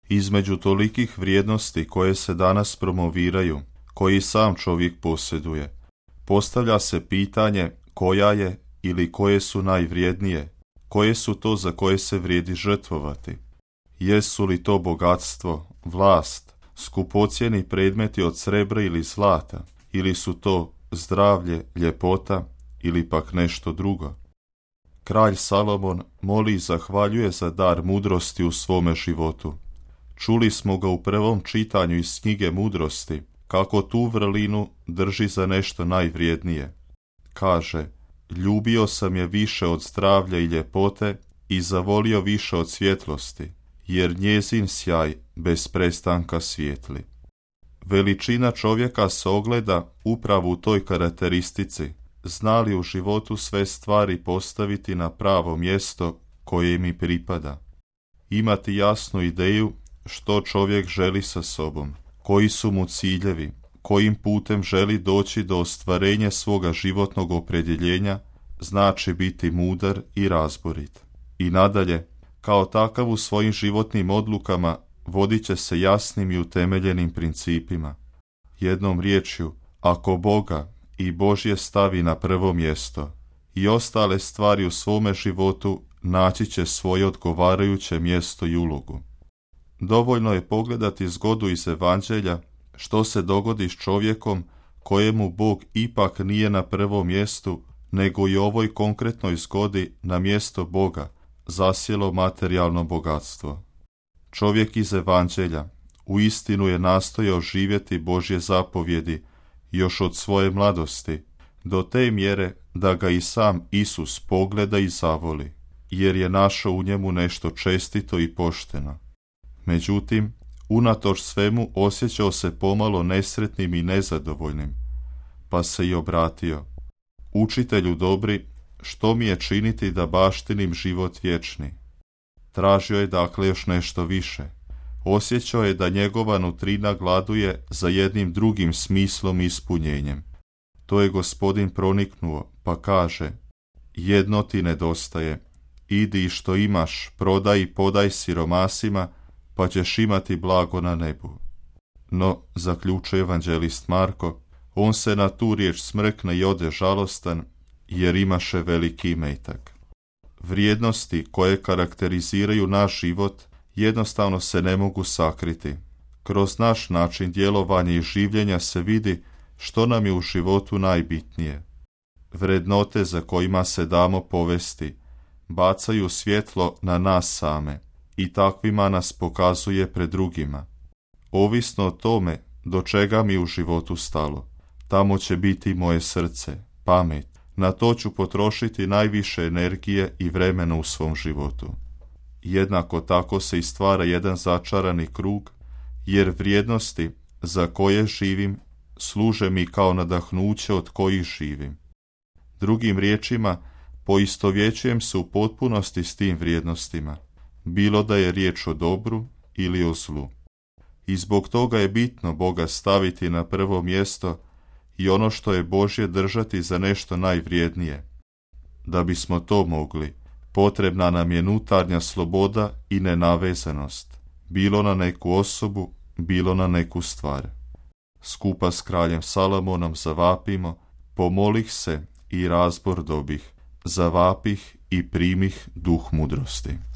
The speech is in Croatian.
Između tolikih vrijednosti koje se danas promoviraju, koji sam čovjek posjeduje, postavlja se pitanje koja je ili koje su najvrijednije, koje su to za koje se vrijedi žrtvovati. Jesu li to bogatstvo, vlast, skupocjeni predmeti od srebra ili zlata, ili su to zdravlje, ljepota ili pak nešto drugo? Kralj Salomon moli i zahvaljuje za dar mudrosti u svome životu. Čuli smo ga u prvom čitanju iz knjige Mudrosti, kako tu vrlinu drži za nešto najvrijednije. Kaže, ljubio sam je više od zdravlja i ljepote i zavolio više od svjetlosti, jer njezin sjaj bez prestanka svijetli. Veličina čovjeka se ogleda upravo u toj karakteristici, zna li u životu sve stvari postaviti na pravo mjesto koje mi pripada. Imati jasnu ideju što čovjek želi sa sobom, koji su mu ciljevi, kojim putem želi doći do ostvarenja svoga životnog opredjeljenja, znači biti mudar i razborit. I nadalje, kao takav u svojim životnim odlukama vodit će se jasnim i utemeljenim principima. Jednom riječju, ako Boga i Božje stavi na prvo mjesto i ostale stvari u svome životu naći će svoje odgovarajuće mjesto i ulogu. Dovoljno je pogledati zgodu iz Evanđelja što se dogodi s čovjekom kojemu Bog ipak nije na prvom mjestu, nego i ovoj konkretnoj zgodi na mjesto Boga zasjelo materijalno bogatstvo. Čovjek iz Evanđelja uistinu je nastojao živjeti Božje zapovjedi još od svoje mladosti, do te mjere da ga i sam Isus pogleda i zavoli, jer je našao u njemu nešto čestito i pošteno. Međutim, unatoč svemu osjećao se pomalo nesretnim i nezadovoljnim, pa se i obratio. Učitelju dobri, što mi je činiti da baštinim život vječni? Tražio je dakle još nešto više. Osjećao je da njegova nutrina gladuje za jednim drugim smislom i ispunjenjem. To je Gospodin proniknuo, pa kaže, jedno ti nedostaje, idi i što imaš, prodaj i podaj siromasima, pa ćeš imati blago na nebu. No, zaključuje evanđelist Marko, on se na tu riječ smrkne i ode žalostan, jer imaše veliki imetak. Vrijednosti koje karakteriziraju naš život jednostavno se ne mogu sakriti. Kroz naš način djelovanja i življenja se vidi što nam je u životu najbitnije. Vrednote za kojima se damo povesti bacaju svjetlo na nas same i takvima nas pokazuje pred drugima. Ovisno o tome do čega mi u životu stalo, tamo će biti moje srce, pamet. Na to ću potrošiti najviše energije i vremena u svom životu. Jednako tako se i stvara jedan začarani krug, jer vrijednosti za koje živim služe mi kao nadahnuće od kojih živim. Drugim riječima, poistovjećujem se u potpunosti s tim vrijednostima, bilo da je riječ o dobru ili o zlu. I zbog toga je bitno Boga staviti na prvo mjesto i ono što je Božje držati za nešto najvrijednije. Da bismo to mogli, potrebna nam je unutarnja sloboda i nenavezanost, bilo na neku osobu, bilo na neku stvar. Skupa s kraljem Salomonom zavapimo, pomolih se i razbor dobih, zavapih i primih duh mudrosti.